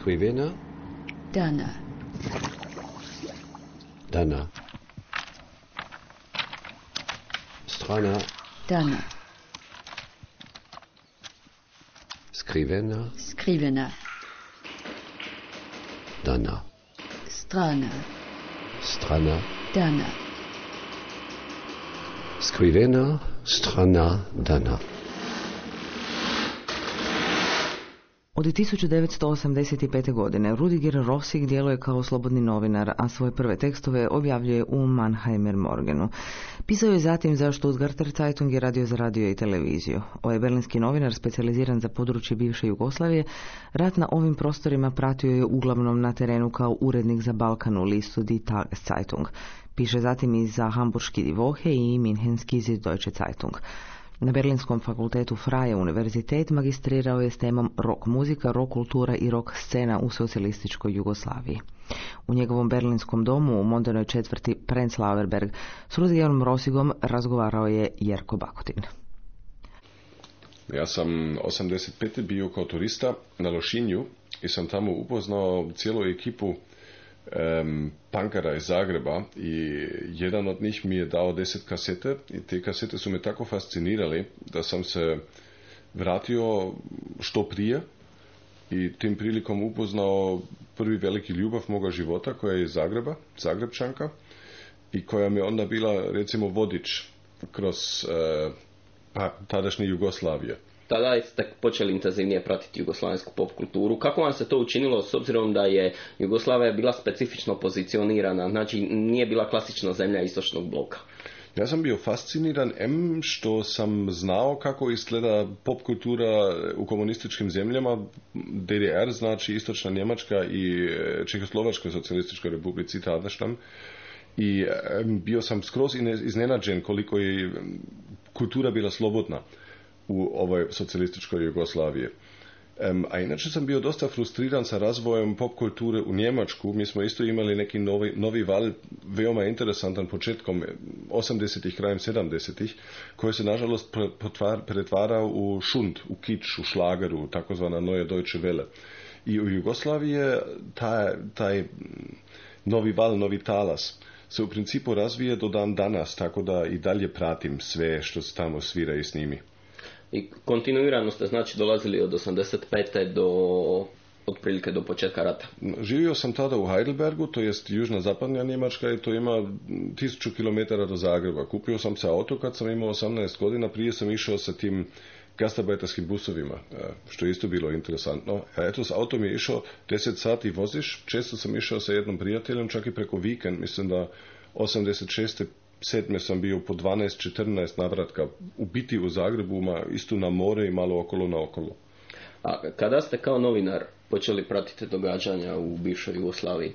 Skrivena. Dana. Dana. Strana. Dana. Skrivena. Skrivena. Dana. Strana. Strana. Dana. Skrivena. Strana. Dana. Od 1985. godine Rudiger Rossig djeluje kao slobodni novinar, a svoje prve tekstove objavljuje u Mannheimer Morgenu. Pisao je zatim za Stuttgarter Zeitung i radio za radio i televiziju. Ovaj berlinski novinar, specijaliziran za područje bivše Jugoslavije, rat na ovim prostorima pratio je uglavnom na terenu kao urednik za Balkan u listu Die Tageszeitung. Piše zatim i za Hamburški Die Woche i Münchenski Süddeutsche Zeitung. Na Berlinskom fakultetu Freie univerzitet magistrirao je s temom rock muzika, rock kultura i rock scena u socijalističkoj Jugoslaviji. U njegovom berlinskom domu u mondenoj četvrti Prenzlauer Berg s Rudigerom Rossigom razgovarao je Jerko Bakotin. Ja sam 85. bio kao turista na Lošinju i sam tamo upoznao cijelu ekipu punkara iz Zagreba i jedan od njih mi je dao 10 kasete i te kasete su me tako fascinirali da sam se vratio što prije i tim prilikom upoznao prvi veliki ljubav moga života koja je iz Zagreba, Zagrebčanka i koja mi je onda bila recimo vodič kroz tadašnje Jugoslavije. Tada ste počeli intenzivnije pratiti jugoslavensku pop kulturu. Kako vam se to učinilo s obzirom da je Jugoslavija bila specifično pozicionirana, znači nije bila klasična zemlja istočnog bloka? Ja sam bio fasciniran što sam znao kako izgleda pop kultura u komunističkim zemljama, DDR, znači Istočna Njemačka i Čehoslovačkoj socijalističkoj republici tadašnjom. I bio sam skroz iznenađen koliko je kultura bila slobodna u ovoj socijalističkoj Jugoslaviji. A inače sam bio dosta frustriran sa razvojem pop kulture u Njemačku. Mi smo isto imali neki novi val, veoma interesantan početkom 80-ih, krajem 70-ih, koji se nažalost pretvarao u šund, u kič, u šlageru, takozvana Neue Deutsche Welle. I u Jugoslaviji je taj novi val, novi talas se u principu razvije do dan danas, tako da i dalje pratim sve što se tamo svira i snimi. I kontinuirano ste znači dolazili od 85. do otprilike do početka rata. Živio sam tada u Heidelbergu, to jest južna zapadnja Njemačka i to ima 1000 km do Zagreba. Kupio sam se auto kad sam imao 18 godina, prije sam išao sa tim gastarbeiterskim busovima, što je isto bilo interesantno. Eto, s autom je išao 10 sati voziš, često sam išao sa jednom prijateljem, čak i preko vikend, mislim da 86. 7. sam bio po 12-14 navratka u biti u Zagrebu, isto na more i malo okolo na okolo. A kada ste kao novinar počeli pratiti događanja u bivšoj Jugoslaviji?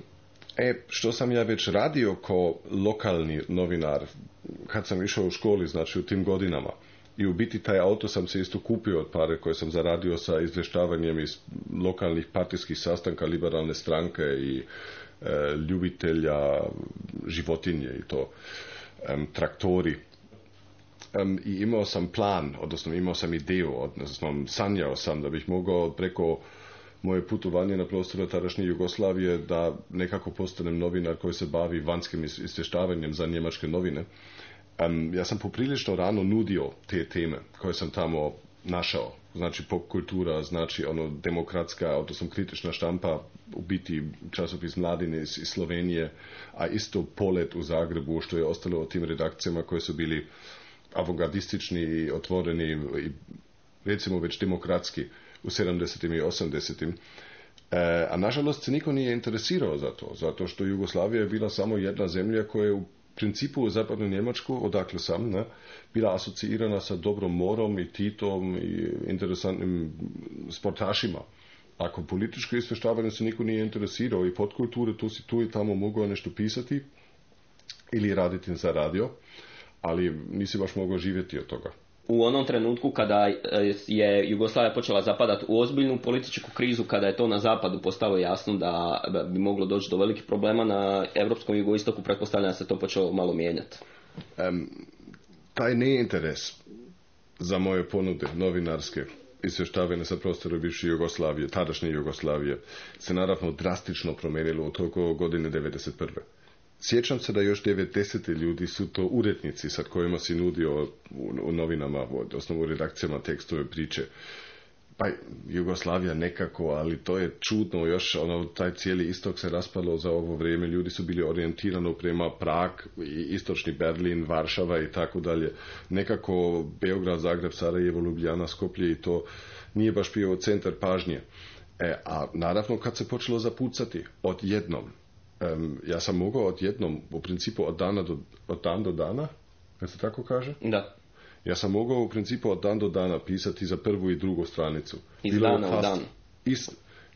Što sam ja već radio kao lokalni novinar kad sam išao u školi, znači u tim godinama. I u biti taj auto sam se isto kupio od pare koje sam zaradio sa izvještavanjem iz lokalnih partijskih sastanka liberalne stranke i ljubitelja životinje i to. Traktori. I imao sam plan, odnosno imao sam ideju, odnosno sanjao sam da bih mogao preko moje putovanje na prostoru tadašnje Jugoslavije da nekako postanem novinar koji se bavi vanjskim izvještavanjem za njemačke novine. Ja sam poprilično rano nudio te teme koje sam tamo našao. Znači pop kultura, znači demokratska, odnosno kritična štampa, u biti časopis Mladine iz Slovenije, a isto Polet u Zagrebu, što je ostalo od tim redakcijama koje su bili avantgardistični i otvoreni i recimo već demokratski u 70. i 80. A nažalost se niko nije interesirao za to, zato što Jugoslavija je bila samo jedna zemlja koja je u principu u zapadnu Njemačku, odakle sam, bila asociirana sa dobrom morom i Titom i interesantnim sportašima. Ako političko izvještavanje se niko nije interesirao i podkulture, tu si tu i tamo mogao nešto pisati ili raditi za radio, ali nisi baš mogao živjeti od toga. U onom trenutku kada je Jugoslavija počela zapadati u ozbiljnu političku krizu, kada je to na zapadu postalo jasno da bi moglo doći do velikih problema, na europskom jugoistoku pretpostavljam da se to počelo malo mijenjati. Taj neinteres za moje ponude novinarske izvještavanje sa prostora bivše Jugoslavije, tadašnje Jugoslavije, se naravno drastično promijenilo u toko godine 1991. Sjećam se da još 90. ljudi su to urednici sa kojima si nudio u novinama, osnovu redakcijama tekstove priče. Pa Jugoslavija nekako, ali to je čudno, još taj cijeli istok se raspalo za ovo vrijeme, ljudi su bili orijentirani prema Prag, istočni Berlin, Varšava i tako dalje. Nekako Beograd, Zagreb, Sarajevo, Ljubljana, Skoplje i to nije baš bio centar pažnje. A naravno kad se počelo zapucati, odjednom, ja sam mogao odjednom, u principu od dan do dana, kad se tako kaže? Da. Ja sam mogao u principu od dan do dana pisati za prvu i drugu stranicu. Iz dana u dan.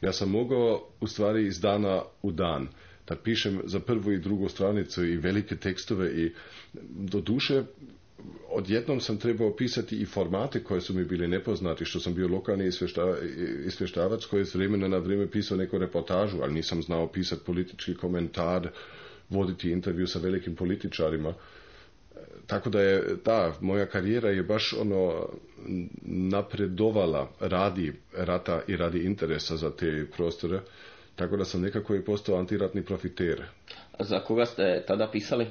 Ja sam mogao u stvari iz dana u dan da pišem za prvu i drugu stranicu i velike tekstove i do duše odjednom sam trebao pisati i formate koje su mi bili nepoznati, što sam bio lokalni izvještavac koji je s vremena na vrijeme pisao neku reportažu, ali nisam znao pisati politički komentar, voditi intervju sa velikim političarima. Tako da je, moja karijera je baš napredovala radi rata i radi interesa za te prostore, tako da sam nekako i postao antiratni profiter. A za koga ste tada pisali?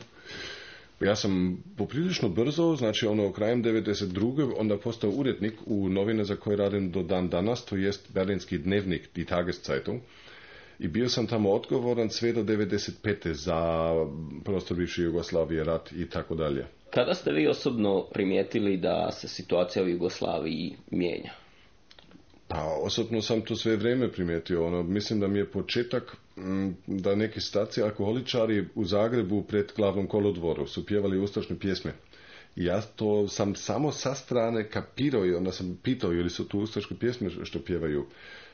Ja sam poprilično brzo, znači krajem 1992. onda postao urednik u novine za koje radim do dan danas, to jest Berlinski dnevnik, Die Tageszeitung. I bio sam tamo odgovoran sve do 1995. za prostor bivše Jugoslavije, rat i tako dalje. Kada ste vi osobno primijetili da se situacija u Jugoslaviji mijenja? Pa osobno sam to sve vrijeme primijetio. Mislim da mi je početak da neki starci alkoholičari u Zagrebu pred glavnom kolodvoru su pjevali ustašne pjesme. I ja to sam samo sa strane kapirao i onda sam pitao ili su tu ustaške pjesme što pjevaju.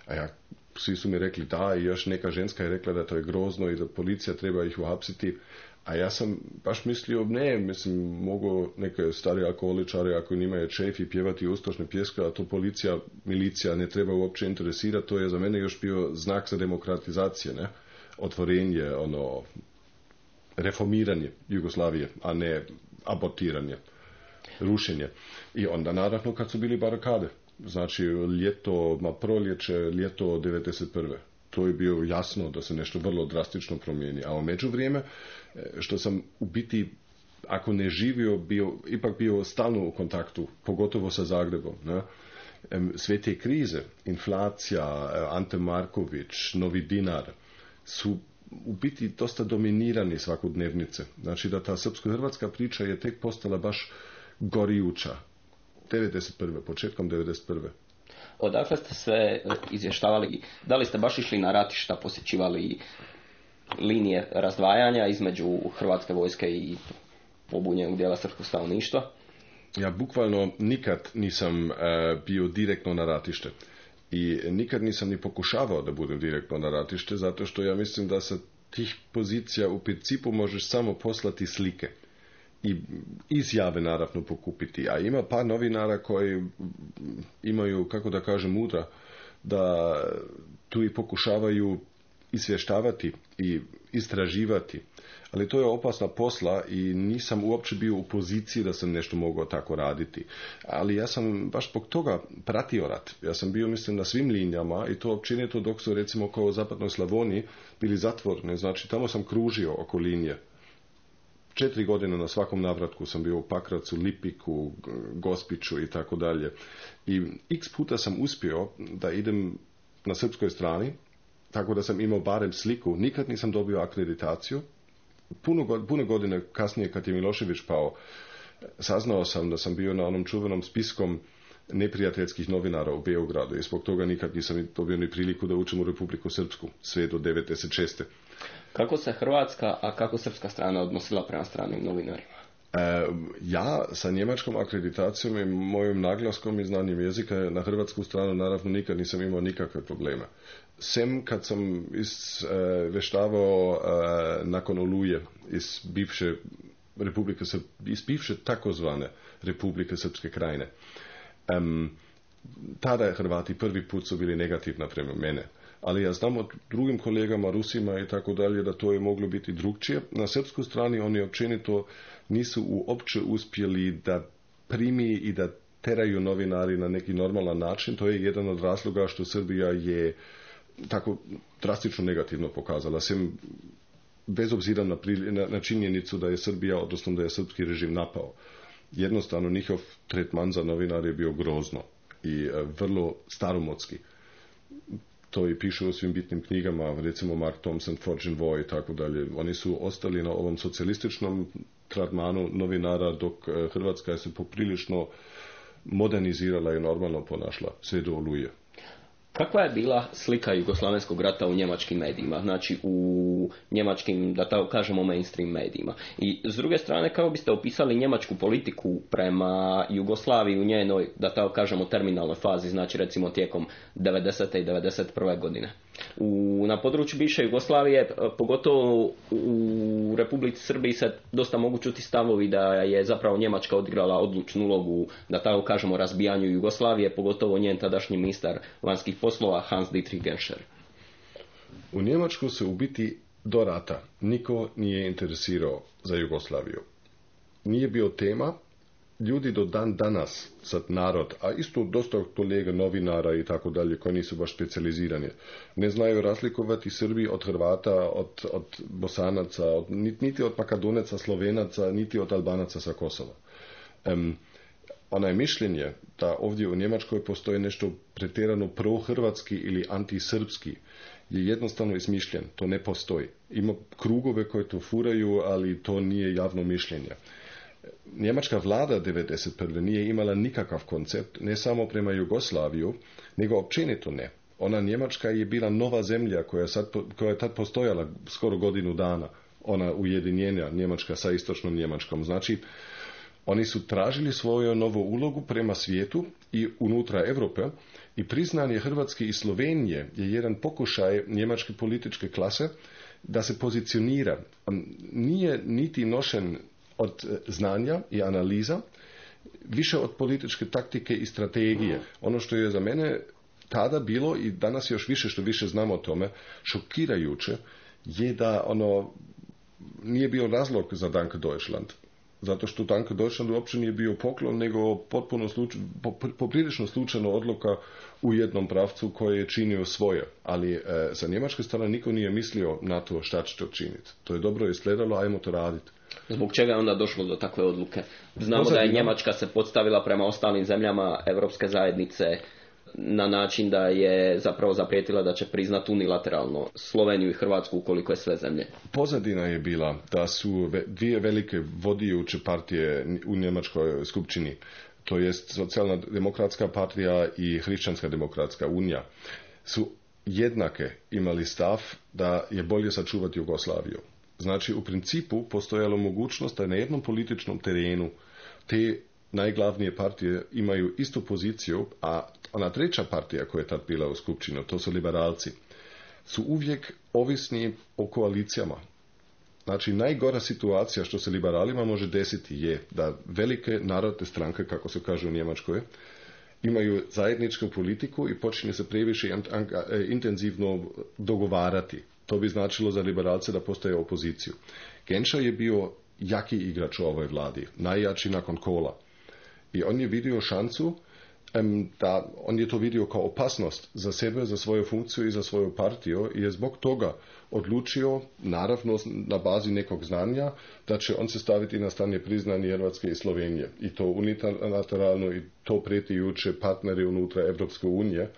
A svi su mi rekli da, i još neka ženska je rekla da to je grozno i da policija treba ih uhapsiti. A ja sam baš mislio, mogu neke stari alkoholičari ako njima je šef i pjevati ustašne pjeske, a to milicija ne treba uopće interesirati, to je za mene još bio znak za demokratizacije, ne? Otvorenje, reformiranje Jugoslavije, a ne abortiranje, rušenje. I onda naravno kad su bili barakade, znači proljeće, ljeto 1991. To je bio jasno da se nešto vrlo drastično promijeni. A u međuvrijeme, što sam u biti, ako ne živio, ipak bio stalno u kontaktu, pogotovo sa Zagrebom. Ne? Sve te krize, inflacija, Ante Marković, Novi dinar, su u biti dosta dominirani svakodnevnice. Znači da ta srpsko-hrvatska priča je tek postala baš gorijuća. 1991. početkom 1991. Odakle ste sve izvještavali? Da li ste baš išli na ratišta, posjećivali linije razdvajanja između Hrvatske vojske i pobunjenog dijela srpskog stanovništva? Ja bukvalno nikad nisam bio direktno na ratište. I nikad nisam ni pokušavao da budem direktno na ratište, zato što ja mislim da sa tih pozicija u principu možeš samo poslati slike. I izjave naravno pokupiti. A ima par novinara koji imaju, kako da kažem, mudra, da tu i pokušavaju izvještavati i istraživati. Ali to je opasna posla i nisam uopće bio u poziciji da sam nešto mogao tako raditi. Ali ja sam baš zbog toga pratio rat. Ja sam bio, mislim, na svim linijama i to općenito dok su, recimo, kao u zapadnoj Slavoniji bili zatvoreni. Znači, tamo sam kružio oko linije. 4 godine na svakom navratku sam bio u Pakracu, Lipiku, Gospiću i tako dalje. I x puta sam uspio da idem na srpskoj strani, tako da sam imao barem sliku. Nikad nisam dobio akreditaciju. Puno godine kasnije, kad je Milošević pao, saznao sam da sam bio na onom čuvenom spiskom neprijateljskih novinara u Beogradu i zbog toga nikad nisam dobio ni priliku da učim u Republiku Srpsku, sve do 1996. Kako se hrvatska, a kako srpska strana odnosila prema stranim novinarima? Ja sa njemačkom akreditacijom i mojim naglaskom i znanjem jezika na hrvatsku stranu naravno nikad nisam imao nikakve probleme. Sem kad sam izvještavao nakon Oluje iz bivše Republike iz bivše takozvane Republike Srpske krajine. Tada Hrvati prvi put su bili negativni prema mene. Ali ja znam od drugim kolegama, Rusima i tako dalje, da to je moglo biti drugčije. Na srpskoj strani oni općenito nisu uopće uspjeli da primi i da teraju novinari na neki normalan način. To je jedan od razloga što Srbija je tako drastično negativno pokazala. Sem bez obzira na činjenicu da je Srbija, odnosno da je srpski režim napao. Jednostavno njihov tretman za novinare je bio grozno i vrlo staromodski. To i piše u svim bitnim knjigama, recimo Mark Thompson, Fortune Voy i tako dalje. Oni su ostali na ovom socijalističnom tretmanu novinara, dok Hrvatska se poprilično modernizirala i normalno ponašla sve do Oluje. Kakva je bila slika Jugoslavenskog rata u njemačkim medijima, znači u njemačkim, da tako kažemo, mainstream medijima? I s druge strane, kako biste opisali njemačku politiku prema Jugoslaviji u njenoj, da tako kažemo, terminalnoj fazi, znači recimo tijekom 90. i 91. godine? Na području bivše Jugoslavije, pogotovo u Republici Srbiji, se dosta mogu čuti stavovi da je zapravo Njemačka odigrala odlučnu ulogu, da tako kažemo, razbijanju Jugoslavije, pogotovo njen tadašnji ministar vanjskih poslova Hans Dietrich Genscher. U Njemačku se u biti do rata niko nije interesirao za Jugoslaviju. Nije bio tema. Ljudi do dan danas, sad narod, a isto dosta kolega novinara i tako dalje, koji nisu baš specijalizirani, ne znaju razlikovati Srbi od Hrvata, od Bosanaca, niti od Makedonaca, Slovenaca, niti od Albanaca sa Kosova. Onaj mišljenje da ovdje u Njemačkoj postoji nešto pretjerano prohrvatski ili antisrpski je jednostavno izmišljen. To ne postoji. Ima krugove koje to furaju, ali to nije javno mišljenje. Njemačka vlada 1991. nije imala nikakav koncept, ne samo prema Jugoslaviju, nego općenito ne. Ona Njemačka je bila nova zemlja koja je tad postojala skoro godinu dana. Ona ujedinjenja Njemačka sa istočnom Njemačkom. Znači, oni su tražili svoju novu ulogu prema svijetu i unutra Europe i priznanje Hrvatske i Slovenije je jedan pokušaj njemačke političke klase da se pozicionira. Nije niti nošen od znanja i analiza, više od političke taktike i strategije. Ono što je za mene tada bilo i danas još više što više znamo o tome, šokirajuće je da nije bio razlog za Danke Deutschland. Zato što Danke Deutschland uopće nije bio poklon, nego poprilično slučajna odluka u jednom pravcu koji je činio svoje. Ali sa njemačke strane niko nije mislio na to šta će to činiti. To je dobro izgledalo, ajmo to raditi. Zbog čega je onda došlo do takve odluke? Znamo da je Njemačka se podstavila prema ostalim zemljama Europske zajednice na način da je zapravo zaprijetila da će priznati unilateralno Sloveniju i Hrvatsku ukoliko je sve zemlje. Pozadina je bila da su dvije velike vodijuće partije u Njemačkoj skupštini, to jest Socijalna demokratska partija i Hrišćanska demokratska unija, su jednake imali stav da je bolje sačuvati Jugoslaviju. Znači, u principu postojala mogućnost da na jednom političnom terenu te najglavnije partije imaju istu poziciju, a ona treća partija koja je tad bila u skupštini, to su liberalci, su uvijek ovisni o koalicijama. Znači, najgora situacija što se liberalima može desiti je da velike narodne stranke, kako se kaže u Njemačkoj, imaju zajedničku politiku i počinje se previše intenzivno dogovarati. To bi značilo za liberalce da postaje opoziciju. Genscher je bio jaki igrač u ovoj vladi, najjači nakon Kohla. I on je vidio šansu, on je to vidio kao opasnost za sebe, za svoju funkciju i za svoju partiju i je zbog toga odlučio, naravno na bazi nekog znanja, da će on se staviti na strane priznanje Hrvatske i Slovenije. I to unilateralno i to pretijuće partneri unutra Evropske unije.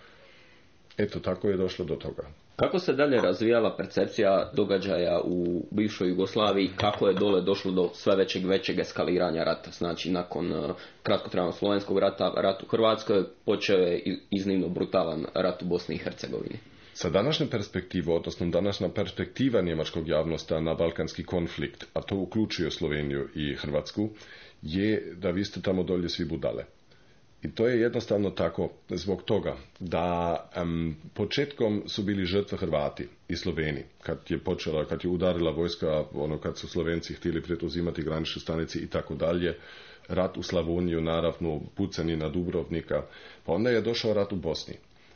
Eto, tako je došlo do toga. Kako se dalje razvijala percepcija događaja u bivšoj Jugoslaviji, kako je dole došlo do sve većeg eskaliranja rata? Znači, nakon kratkotrajnog slovenskog rata, rat u Hrvatskoj, počeo je iznimno brutalan rat u Bosni i Hercegovini. Sa današnje perspektive, odnosno današnja perspektiva njemačkog javnosti na balkanski konflikt, a to uključuje Sloveniju i Hrvatsku, je da vi ste tamo dolje svi budale. I to je jednostavno tako zbog toga da početkom su bili žrtve Hrvati i Sloveni. Kad je udarila vojska, kad su Slovenci htjeli preuzimati granične stanice i tako dalje, rat u Slavoniju, naravno, pucanje na Dubrovnika, pa onda je došao rat u Bosni.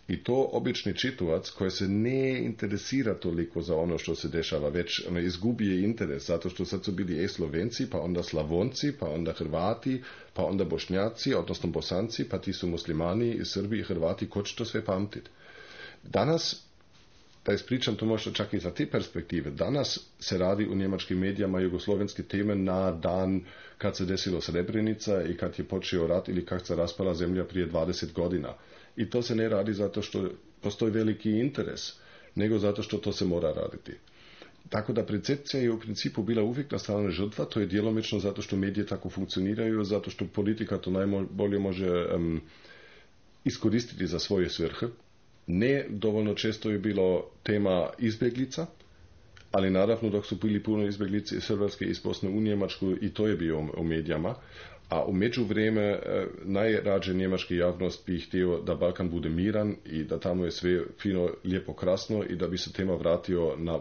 I to obični čitavac koji se ne interesira toliko za ono što se dešava, već izgubije interes, zato što sad su bili Slovenci, pa onda Slavonci, pa onda Hrvati, pa onda Bošnjaci, odnosno Bosanci, pa ti su muslimani, Srbi i Hrvati, ko će to sve pamtiti? Danas, da ispričam to možda čak i za te perspektive, danas se radi u njemačkim medijama jugoslovenske teme na dan kad se desilo Srebrenica i kad je počeo rat ili kad se raspala zemlja prije 20 godina. I to se ne radi zato što postoji veliki interes, nego zato što to se mora raditi. Tako da percepcija je u principu bila uvijek na strani žrtva, to je djelomično zato što medije tako funkcioniraju, zato što politika to najbolje može iskoristiti za svoje svrhe. Ne dovoljno često je bilo tema izbjeglica, ali naravno dok su bili puno izbjeglice iz Hrvatske, iz Bosne u Njemačku, i to je bio u medijama. A u međuvreme najrađe njemačka javnost bi htio da Balkan bude miran i da tamo je sve fino, lijepo, krasno i da bi se tema vratio na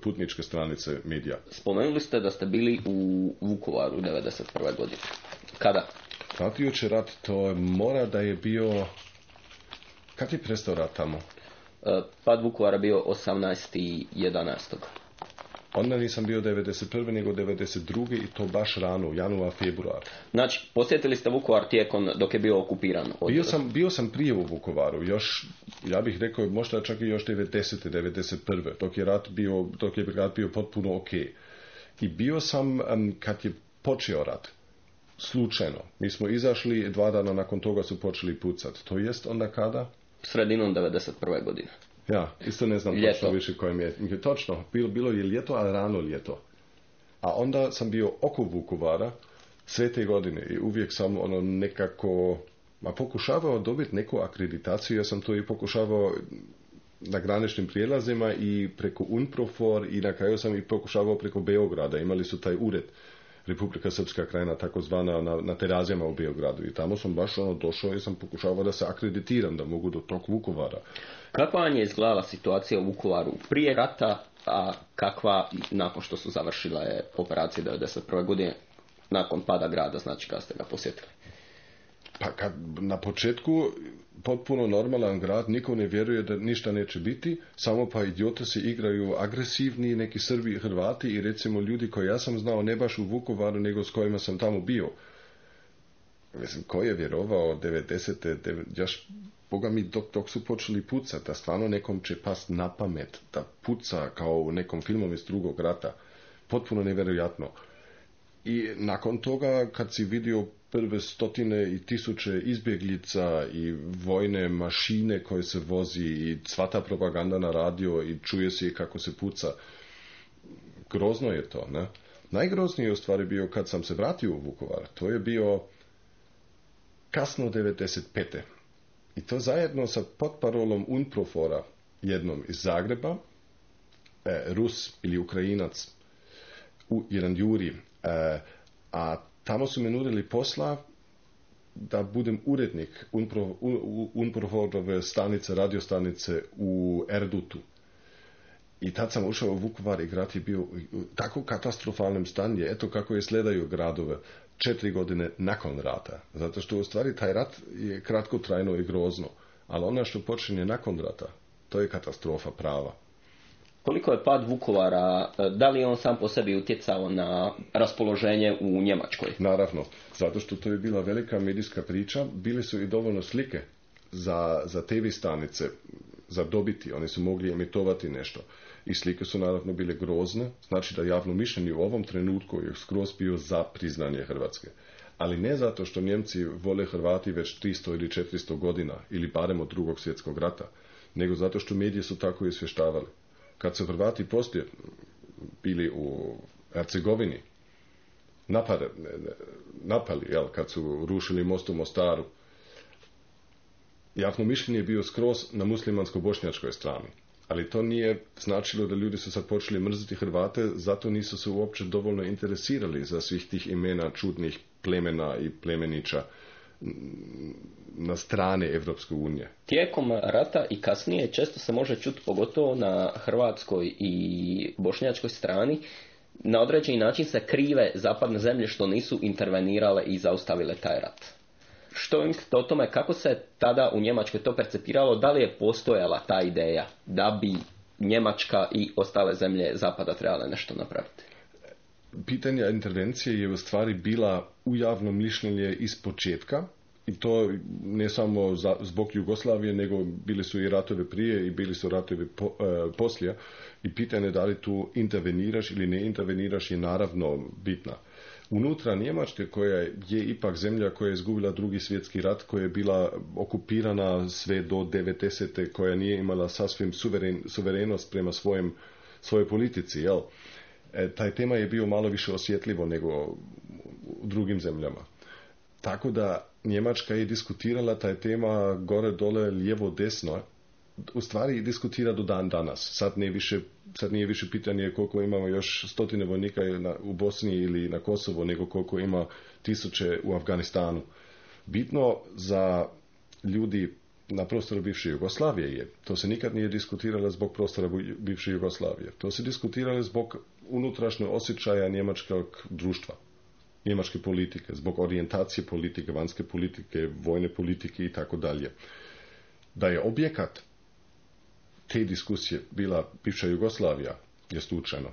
putničke stranice medija. Spomenuli ste da ste bili u Vukovaru 1991. godine. Kada? Pratijući rat, to mora da je bio... Kad je prestao rat tamo? Pad Vukovara bio 18.11. Onda nisam bio 91. nego 92. i to baš rano, januar, februar. Znači, posjetili ste Vukovar tijekom dok je bio okupiran? Bio sam prije u Vukovaru, još, ja bih rekao, možda čak i još 90. 91. Dok je rat bio potpuno ok. I bio sam kad je počeo rat. Slučajno. Mi smo izašli, 2 dana nakon toga su počeli pucati. To jest onda kada? Sredinom 91. godine. Ja, isto ne znam ljeto. Točno više kojem je. Točno, bilo je ljeto, ali rano ljeto. A onda sam bio oko Vukovara sve te godine i uvijek sam nekako pokušavao dobiti neku akreditaciju. Ja sam to i pokušavao na graničnim prijelazima i preko UNPROFOR i na kraju sam i pokušavao preko Beograda. Imali su taj ured Republika Srpska krajina, takozvana na Terazijama u Beogradu. I tamo sam baš došao i sam pokušavao da se akreditiram, da mogu do tog Vukovara. Kakva vam je izgledala situacija u Vukovaru prije rata, a kakva nakon što su završile operacije 1991. godine, nakon pada grada, znači kada ste ga posjetili? Pa kad na početku potpuno normalan grad, niko ne vjeruje da ništa neće biti, samo pa idioti se igraju agresivni, neki Srbi i Hrvati i recimo ljudi koje ja sam znao ne baš u Vukovaru, nego s kojima sam tamo bio. Mislim, ko je vjerovao 90. Boga mi dok su počeli pucati, da stvarno nekom će past na pamet, da puca kao u nekom filmom iz Drugog rata. Potpuno nevjerojatno. I nakon toga, kad si vidio prve stotine i tisuće izbjeglica i vojne mašine koje se vozi i sva ta propaganda na radio i čuje se kako se puca, grozno je to, ne? Najgroznije u stvari bio kad sam se vratio u Vukovar. To je bio kasno 95. I to zajedno sa potparolom UNPROFOR-a, jednom iz Zagreba, Rus ili Ukrajinac, jedan Juri, a tamo su me nudili posla da budem urednik UNPROFOR-ove stanice, radiostanice u Erdutu. I tad sam ušao u Vukovar i grad je bio u tako katastrofalnom stanju, eto kako je sledaju gradove 4 godine nakon rata. Zato što u stvari taj rat je kratkotrajno i grozno, ali ono što počinje nakon rata, to je katastrofa prava. Koliko je pad Vukovara, da li je on sam po sebi utjecao na raspoloženje u Njemačkoj? Naravno, zato što to je bila velika medijska priča, bile su i dovoljno slike za TV stanice, za dobiti, oni su mogli emitovati nešto. I slike su naravno bile grozne, znači da javno mišljenje u ovom trenutku je skroz bio za priznanje Hrvatske. Ali ne zato što Njemci vole Hrvati već 300 ili 400 godina, ili barem od Drugog svjetskog rata, nego zato što mediji su tako izvještavali. Kad su Hrvati poslije bili u Hercegovini, napali, kad su rušili most u Mostaru, javno mišljenje je bio skroz na muslimansko-bošnjačkoj strani. Ali to nije značilo da ljudi su sad počeli mrziti Hrvate, zato nisu se uopće dovoljno interesirali za svih tih imena čudnih plemena i plemenića na strane Evropske unije. Tijekom rata i kasnije često se može čuti, pogotovo na hrvatskoj i bošnjačkoj strani, na određeni način se krive zapadne zemlje što nisu intervenirale i zaustavile taj rat. što vi mislite o tome kako se tada u Njemačkoj to percepiralo, da li je postojala ta ideja da bi Njemačka i ostale zemlje zapada trebale nešto napraviti? Pitanje intervencije je u stvari bila u javnom mišljenje iz početka, i to ne samo zbog Jugoslavije, nego bili su i ratovi prije i bili su ratovi poslije, i pitanje da li tu interveniraš ili ne interveniraš je naravno bitna. Unutra Njemačke, koja je ipak zemlja koja je izgubila Drugi svjetski rat, koja je bila okupirana sve do 90. koja nije imala sasvim suverenost prema svojoj politici, jel? Taj tema je bio malo više osjetljivo nego u drugim zemljama. Tako da Njemačka je diskutirala taj tema gore, dole, lijevo, desno. U stvari diskutira do dan danas. Sad nije više pitanje koliko imamo još stotine vojnika u Bosni ili na Kosovo, nego koliko ima tisuće u Afganistanu. Bitno za ljudi na prostoru bivše Jugoslavije je, to se nikad nije diskutiralo zbog prostora bivše Jugoslavije. To se diskutiralo zbog unutrašnjeg osjećaja njemačkog društva, njemačke politike, zbog orijentacije politike, vanjske politike, vojne politike i tako dalje. Da je objekat te diskusije bila bivša Jugoslavija je slučajno.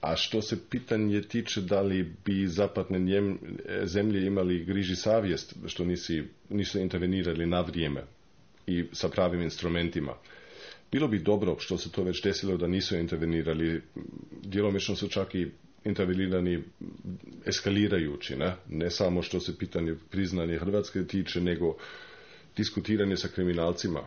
A što se pitanje tiče da li bi zapadne zemlje imali griži savjest što nisu intervenirali na vrijeme i sa pravim instrumentima. Bilo bi dobro što se to već desilo da nisu intervenirali. Djelomično su čak i intervenirani eskalirajući, ne samo što se pitanje priznanje Hrvatske tiče, nego diskutiranje sa kriminalcima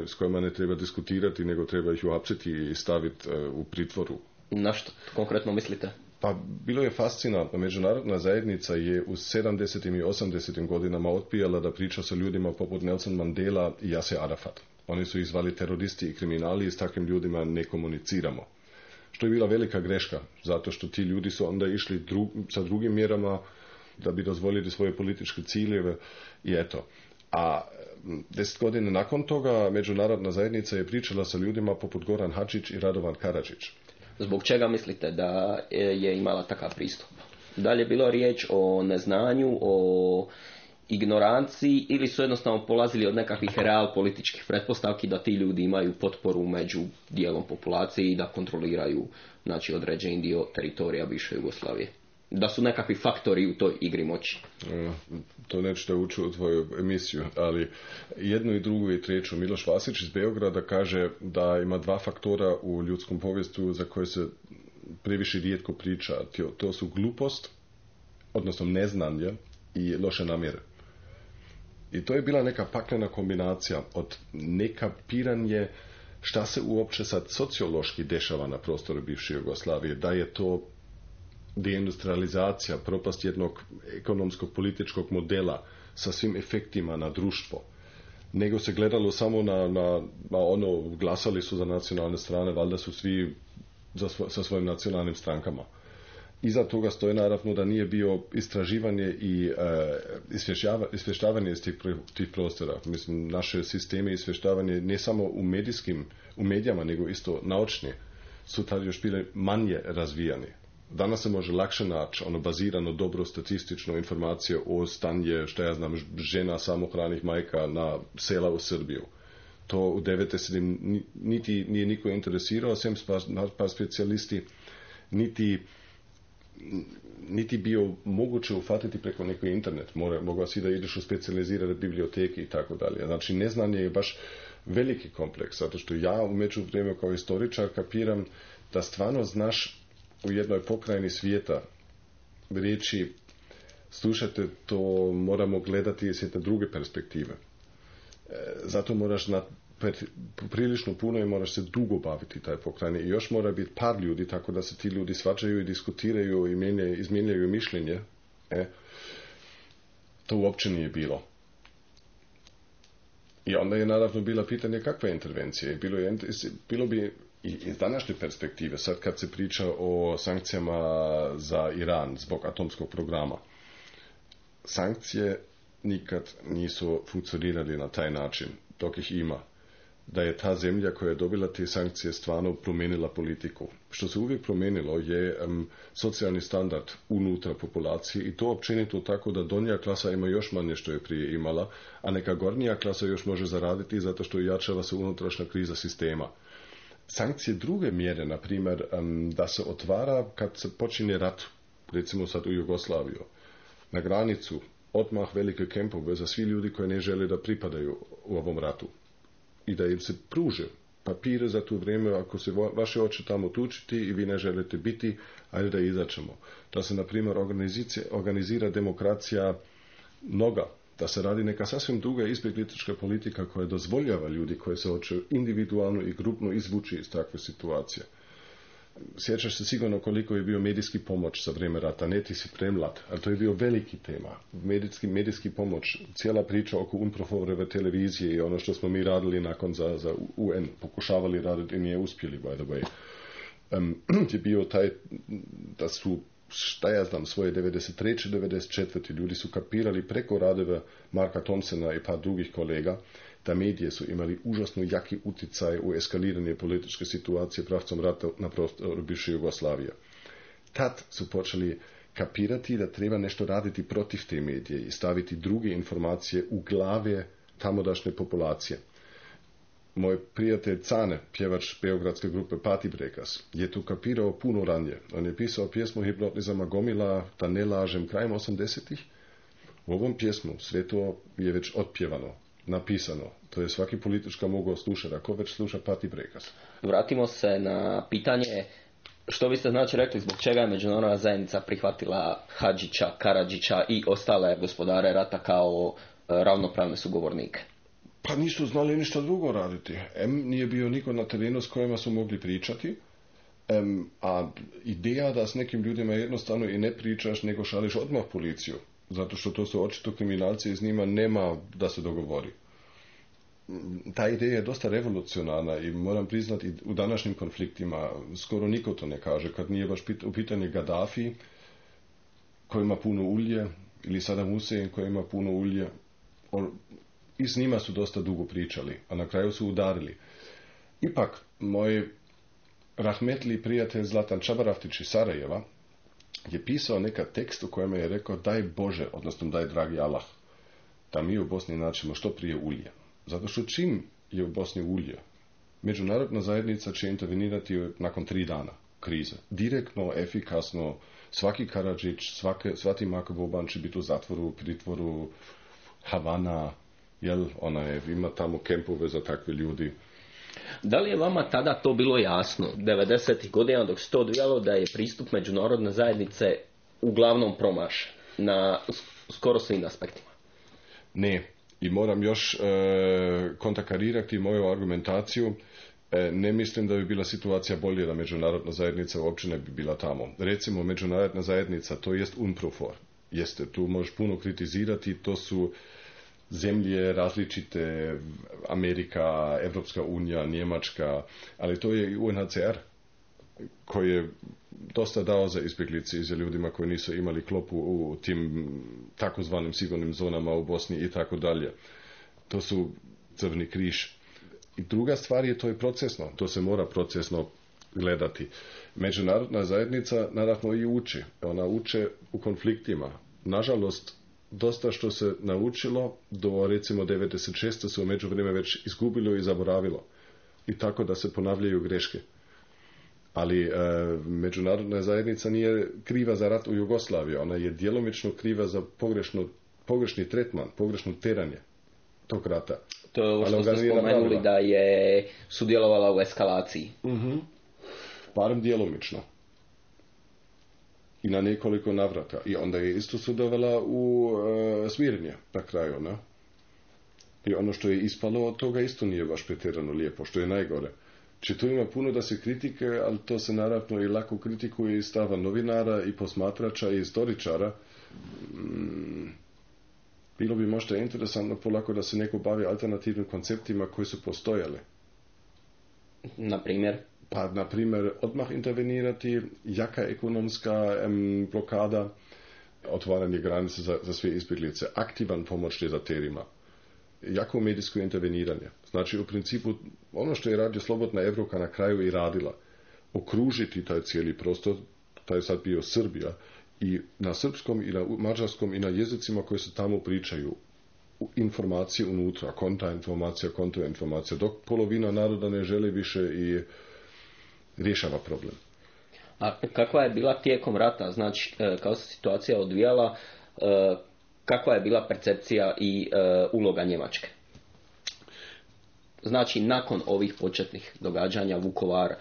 s kojima ne treba diskutirati, nego treba ih uhapsiti i staviti u pritvoru. Na što konkretno mislite? Pa bilo je fascinantno. Međunarodna zajednica je u 70. i 80. godinama odbijala da priča sa ljudima poput Nelson Mandela i Yasser Arafat. Oni su ih zvali teroristi i kriminali i s takvim ljudima ne komuniciramo. Što je bila velika greška, zato što ti ljudi su onda išli sa drugim mjerama da bi dozvolili svoje političke ciljeve i eto. A 10 godina nakon toga međunarodna zajednica je pričala sa ljudima poput Goran Hadžić i Radovan Karadžić. Zbog čega mislite da je imala takav pristup? Da li je bilo riječ o neznanju, o ignoranciji ili su jednostavno polazili od nekakvih real političkih pretpostavki da ti ljudi imaju potporu među dijelom populacije i da kontroliraju, znači, određeni dio teritorija bivše Jugoslavije? Da su nekakvi faktori u toj igri moći. To nećete ući u tvoju emisiju, ali jednu i drugu i treću. Miloš Vasić iz Beograda kaže da ima dva faktora u ljudskom povijestu za koje se previše rijetko priča. To su glupost, odnosno neznanje i loše namjere. I to je bila neka paklena kombinacija od nekapiranje šta se uopće sad sociološki dešava na prostoru bivše Jugoslavije, da je to deindustrializacija, propast jednog ekonomskog političkog modela sa svim efektima na društvo, nego se gledalo samo na ono, glasali su za nacionalne strane, valjda su svi sa svojim nacionalnim strankama. Iza toga stoje naravno da nije bio istraživanje i izvještavanje iz tih prostora. Mislim, naše sisteme izvještavanje ne samo u medijama, nego isto naučni su tada još bile manje razvijani. Danas se može lakše naći bazirano dobro statistično informacije o stanje, što ja znam, žena samohranih majka na sela u Srbiju. To u 90. niti nije niko interesirao, sem par specijalisti, niti bio moguće ufatiti preko neko internet. Mogao si da ideš u specijalizirane biblioteke i tako dalje. Znači, neznanje je baš veliki kompleks, zato što ja u međuvremenu kao historičar kapiram da stvarno znaš u jednoj pokrajini svijeta reći, slušajte, to moramo gledati iz jedne druge perspektive. Zato moraš prilično puno i moraš se dugo baviti taj pokrajini. I još mora biti par ljudi, tako da se ti ljudi svađaju i diskutiraju i izmijenjaju mišljenje. To uopće nije bilo. I onda je naravno bila pitanje kakva je intervencija. Bilo bi i iz današnje perspektive, sad kad se priča o sankcijama za Iran zbog atomskog programa, sankcije nikad nisu funkcionirali na taj način, dok ih ima. da je ta zemlja koja je dobila te sankcije stvarno promijenila politiku. Što se uvijek promijenilo je socijalni standard unutra populacije i to općenito tako da donja klasa ima još manje što je prije imala, a neka gornja klasa još može zaraditi zato što jačava se unutrašnja kriza sistema. Sankcije druge mjere, na primjer, da se otvara kad se počinje rat, recimo sad u Jugoslaviju, na granicu, odmah velike kempove za svi ljudi koji ne žele da pripadaju u ovom ratu. I da im se pruže papire za to vrijeme, ako se vaše oče tamo tučiti i vi ne želite biti, ajde da izaćemo. Da se, na primjer, organizira demokracija mnoga, da se radi neka sasvim druga izbjeglička politika koja dozvoljava ljudi koji se hoće individualno i grupno izvući iz takve situacije. Sjećaš se sigurno koliko je bio medijski pomoć za vrijeme rata, ne ti si premlad, ali to je bio veliki tema. Medijski pomoć, cijela priča oko UNPROFOR-ove televizije i ono što smo mi radili nakon za UN, pokušavali raditi i nije uspjeli, by the way. Je bio taj, da su, šta ja znam, svoje 93. 94. ljudi su kapirali preko radova Marka Thompsona i par drugih kolega, da medije su imali užasno jaki utjecaj u eskaliranje političke situacije pravcom rata na prostoru bivše Jugoslavije. Tad su počeli kapirati da treba nešto raditi protiv te medije i staviti druge informacije u glave tamodašnje populacije. Moj prijatelj Cane, pjevač beogradske grupe Party Breakers, je to kapirao puno ranije. On je pisao pjesmu Hipnotizama Gomila, da ne lažem, krajem 80-ih. U ovom pjesmu sve to je već otpjevano, napisano. To je svaki politička mogao slušati, ako već sluša Party Breakers. Vratimo se na pitanje što biste znači rekli zbog čega je međunarodna zajednica prihvatila Hadžića, Karadžića i ostale gospodare rata kao ravnopravne sugovornike. Pa nisu znali ništa drugo raditi. Nije bio niko na terenu s kojima su mogli pričati, a ideja da s nekim ljudima jednostavno i ne pričaš, nego šališ odmah policiju, zato što to su očito kriminalci i s njima nema da se dogovori. Ta ideja je dosta revolucionarna i moram priznati u današnjim konfliktima skoro niko to ne kaže, kad nije baš u pitanju Gaddafi koji ima puno ulje ili Saddam Hussein koji ima puno ulje. I s njima su dosta dugo pričali, a na kraju su udarili. Ipak, moj rahmetli prijatelj Zlatan Čabaravtić iz Sarajeva je pisao neka tekst u kojem je rekao daj Bože, odnosno daj dragi Allah, da mi u Bosni naćemo što prije ulje. Zato što čim je u Bosni ulje, međunarodna zajednica će intervenirati nakon 3 dana krize. Direktno, efikasno, svaki Karadžić, svaki Mako Boban će biti u zatvoru, pritvoru, Havana, jel, ima tamo kempove za takve ljudi. Da li je vama tada to bilo jasno, 90. godina dok se to odvijalo, da je pristup međunarodne zajednice uglavnom promašen na skoro svim aspektima? Ne, i moram još kontrakarirati moju argumentaciju. Ne mislim da bi bila situacija bolje da međunarodna zajednica uopće ne bi bila tamo. Recimo, međunarodna zajednica, to jest UNPROFOR. Jeste, tu možeš puno kritizirati, to su zemlje različite, Amerika, Evropska unija, Njemačka, ali to je i UNHCR koji je dosta dao za izbjeglice i za ljudima koji nisu imali klopu u tim takozvanim sigurnim zonama u Bosni i tako dalje. To su Crveni križ. I druga stvar je, to je procesno, to se mora procesno gledati. Međunarodna zajednica naravno i uči. Ona uče u konfliktima. Nažalost, dosta što se naučilo do recimo 96. su u međuvremenu već izgubilo i zaboravilo. I tako da se ponavljaju greške. Ali međunarodna zajednica nije kriva za rat u Jugoslaviji. Ona je djelomično kriva za pogrešni tretman, pogrešno teranje tog rata. To je ovo što ste spomenuli da je sudjelovala u eskalaciji. Barem djelomično. I na nekoliko navrata. I onda je isto sudjelovala u smirnje na kraju. Ne? I ono što je ispalo od toga isto nije baš pretjerano lijepo, što je najgore. Či tu ima puno da se kritike, ali to se naravno i lako kritikuje iz stava novinara i posmatrača i istoričara. Bilo bi možda interesantno polako da se neko bavi alternativnim konceptima koji su postojali. Na primjer? Pa, na primjer, odmah intervenirati, jaka ekonomska blokada, otvaranje granice za sve izbjeglice, aktivan pomoć dezaterima. jako medijsko interveniranje. Znači, u principu, ono što je radio Slobodna Evropa na kraju i radila, okružiti taj cijeli prostor, taj je sad bio Srbija, i na srpskom i na mađarskom i na jezicima koji se tamo pričaju, informacije unutra, kontrainformacija, dok polovina naroda ne želi više i rješava problem. A kakva je bila tijekom rata, znači kao se situacija odvijala, kakva je bila percepcija i uloga Njemačke? Znači, nakon ovih početnih događanja, Vukovar,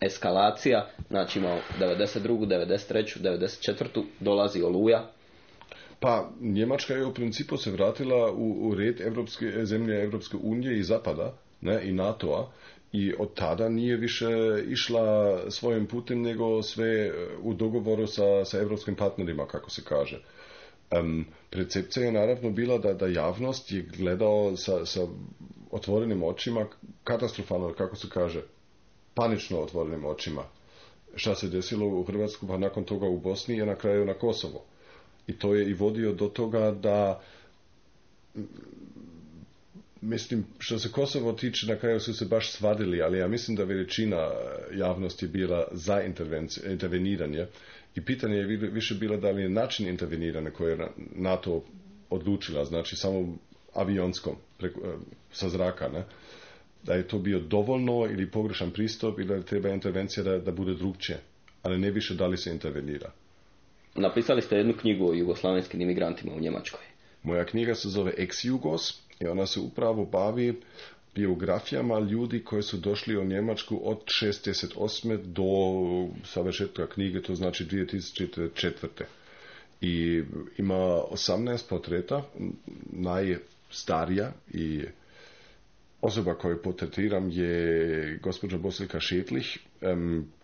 eskalacija, znači imao 92., 93., 94. dolazi Oluja. Pa, Njemačka je u principu se vratila u red zemlje Evropske unije i Zapada, ne, i NATO-a, i od tada nije više išla svojim putem, nego sve u dogovoru sa evropskim partnerima, kako se kaže. Percepcija je naravno bila da javnost je gledao sa otvorenim očima, katastrofalno, kako se kaže, panično otvorenim očima. Šta se desilo u Hrvatsku, pa nakon toga u Bosni i na kraju na Kosovo. I to je i vodio do toga da, mislim, što se Kosovo tiče, na kraju su se baš svadili, ali ja mislim da većina javnosti je bila za interveniranje. I pitanje je više bilo da li je način interveniranja koje je NATO odlučila, znači samo avionskom, sa zraka, ne? Da je to bio dovoljno ili pogrešan pristup ili da treba intervencija da bude drugčije, ali ne više da li se intervenira. Napisali ste jednu knjigu o jugoslavenskim imigrantima u Njemačkoj. Moja knjiga se zove Ex-Jugos i ona se upravo bavi biografijama ljudi koji su došli u Njemačku od 1968. do završetka knjige, to znači 2004. I ima 18 portreta, najstarija i osoba koju portretiram je gospođa Bosilka Šetlih,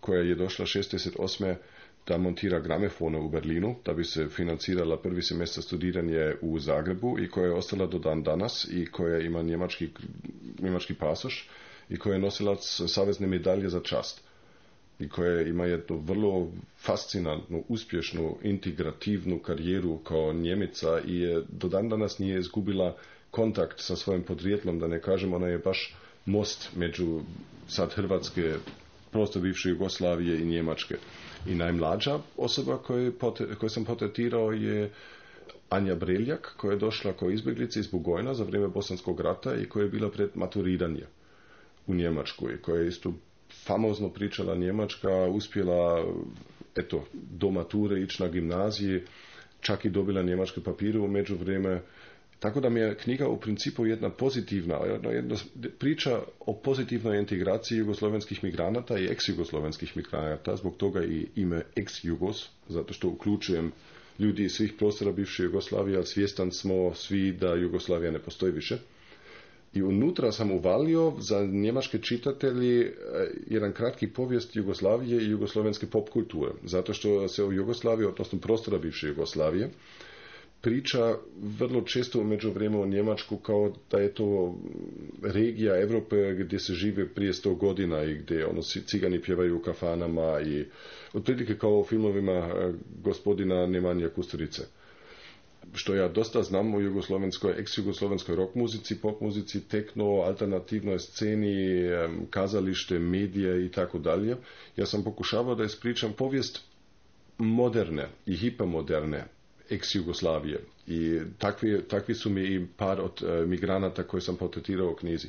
koja je došla 1968. da montira gramofone u Berlinu, da bi se financirala prvi semestar studiranje u Zagrebu i koja je ostala do dan danas i koja ima njemački pasoš i koja je nosilac savezne medalje za čast i koja ima jednu vrlo fascinantnu, uspješnu, integrativnu karijeru kao Njemica i do dan danas nije izgubila kontakt sa svojim podrijetlom, da ne kažem, ona je baš most među sad Hrvatske, prostor bivše Jugoslavije i Njemačke. I najmlađa osoba koju sam portretirao je Anja Breljak, koja je došla kao izbjeglica iz Bugojna za vrijeme Bosanskog rata i koja je bila pred maturiranje u Njemačku i koja je isto famozno pričala njemačka, uspjela do mature ići na gimnaziji, čak i dobila njemačke papire u međuvreme. Tako da mi je knjiga u principu jedna pozitivna, jedna priča o pozitivnoj integraciji jugoslovenskih migranata i ex-jugoslovenskih migranata, zbog toga i ime ex-Jugos, zato što uključujem ljudi iz svih prostora bivše Jugoslavije, ali svjestan smo svi da Jugoslavija ne postoji više. I unutra sam uvalio za njemačke čitatelji jedan kratki povijest Jugoslavije i jugoslovenske pop kulture, zato što se u Jugoslaviji, odnosno prostora bivše Jugoslavije, priča vrlo često u međuvremenu o Njemačku kao da je to regija Europe gdje se žive prije 100 godina i gdje cigani pjevaju u kafanama i otprilike kao u filmovima gospodina Nemanja Kusturice. Što ja dosta znam u ex-jugoslovenskoj rock muzici, pop muzici, tekno, alternativnoj sceni, kazalište, medije i tako dalje. Ja sam pokušavao da ispričam povijest moderne i hipermoderne ex-Jugoslavije i takvi su mi i par od migranata koje sam portretirao u knjizi,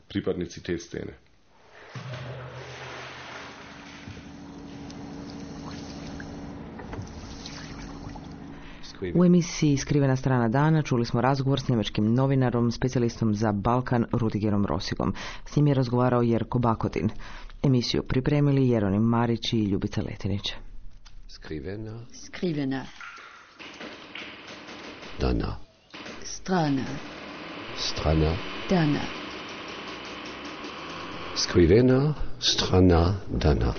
pripadnici te scene. U emisiji Skrivena strana dana čuli smo razgovor s njemačkim novinarom, specijalistom za Balkan Rudigerom Rossigom. S njim je razgovarao Jerko Bakotin. Emisiju pripremili Jeronim Marić i Ljubica Letinić. Skrivena Dana. strana Dana. Skrivena strana Dana.